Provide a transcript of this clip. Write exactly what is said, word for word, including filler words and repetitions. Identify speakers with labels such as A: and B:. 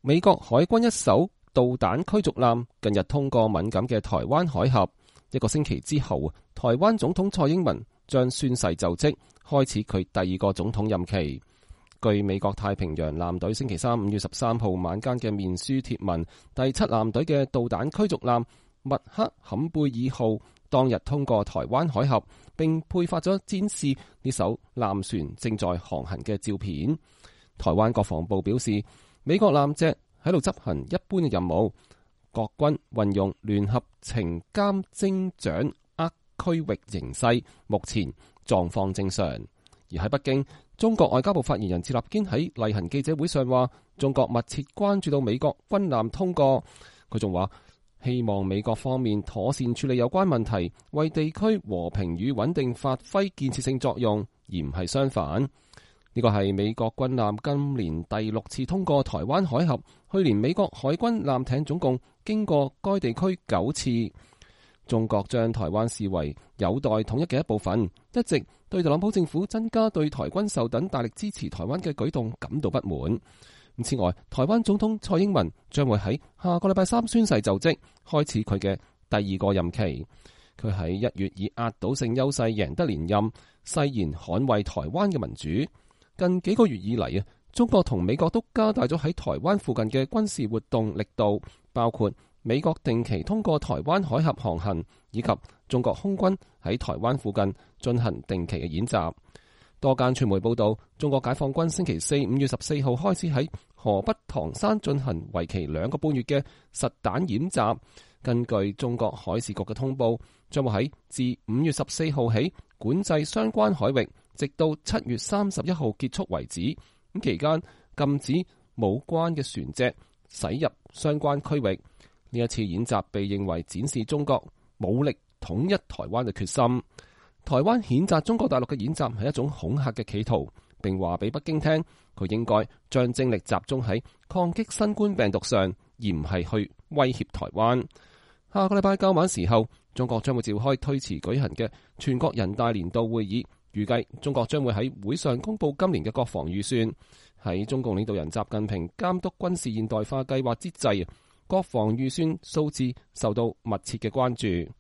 A: 美國海軍一艘導彈驅逐艦近日通過敏感嘅台灣海峽，一個星期之後，台灣總統蔡英文將宣誓就職，開始佢第二個總統任期。據美國太平洋艦隊星期三五月十三號晚間嘅面書貼文，第七艦隊嘅導彈驅逐艦麥克坎貝爾號當日通過台灣海峽，並配發咗展示呢艘艦船正在航行嘅照片。台灣國防部表示，美國艦隻喺度執行一般嘅任務，國軍運用聯合情監偵掌握區域形勢，目前狀況正常。而喺北京，中國外交部發言人趙立堅喺例行記者會上話，中國密切關注到美國軍艦通過。佢仲話，希望美國方面妥善處理有關問題，為地區和平與穩定發揮建設性作用，而唔係相反。呢個係美國軍艦今年第六次通過台灣海峽，去年美國海軍艦艇總共經過該地區九次。中國將台灣視為有待統一嘅一部分，一直對特朗普政府增加對台軍售等大力支持台灣嘅舉動感到不滿。此外，台灣總統蔡英文將會喺下個禮拜三宣誓就職，開始佢嘅第二個任期。佢喺一月以壓倒性優勢贏得連任，誓言捍衛台灣嘅民主。近幾個月以嚟啊，中國同美國都加大咗喺台灣附近嘅軍事活動力度，包括美國定期通過台灣海峽航行，以及中國空軍喺台灣附近進行定期嘅演習。多間傳媒報道，中國解放軍星期四五月十四號開始喺河北唐山進行為期兩個半月嘅實彈演習。根據中國海事局嘅通報，將會喺自五月十四號起管制相關海域，直到七月三十一號結束為止。咁期間禁止冇關嘅船隻駛入相關區域。呢一次演習被認為展示中國武力統一台灣嘅決心。台灣譴責中國大陸嘅演習係一種恐嚇嘅企圖，並話俾北京聽，佢應該將精力集中喺抗擊新冠病毒上，而唔係去威脅台灣。下個禮拜較晚時候，中國將會召開推遲舉行嘅全國人大年度會議，預計中國將會喺會上公布今年嘅國防預算。喺中共領導人習近平監督軍事現代化計劃之際，國防預算數字受到密切嘅關注。